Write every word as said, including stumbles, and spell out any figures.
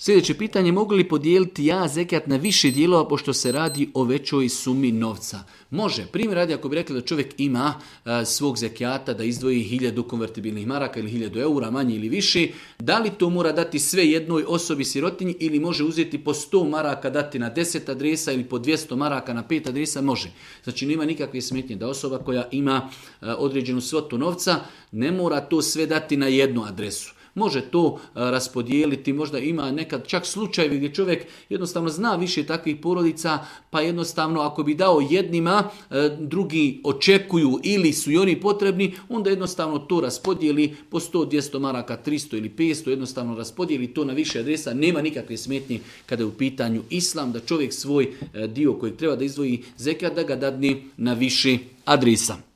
Sljedeće pitanje, mogu li podijeliti ja zekat na više dijelova pošto se radi o većoj sumi novca? Može. Primjer radi, ako bi rekli da čovjek ima a, svog zekijata da izdvoji hiljadu konvertibilnih maraka ili hiljadu eura, manje ili više, da li to mora dati sve jednoj osobi sirotinji ili može uzeti po sto maraka dati na deset adresa ili po dvjesto maraka na pet adresa? Može. Znači nema nikakve smetnje da osoba koja ima a, određenu svotu novca ne mora to sve dati na jednu adresu. Može to raspodijeliti, možda ima nekad čak slučajevi gdje čovjek jednostavno zna više takvih porodica, pa jednostavno ako bi dao jednima, drugi očekuju ili su i oni potrebni, onda jednostavno to raspodijeli po sto, dvjesto maraka, tristo ili petsto, jednostavno raspodijeli to na više adresa, nema nikakve smetnje kada je u pitanju islam, da čovjek svoj dio koji treba da izdvoji zekat, da ga dadne na više adresa.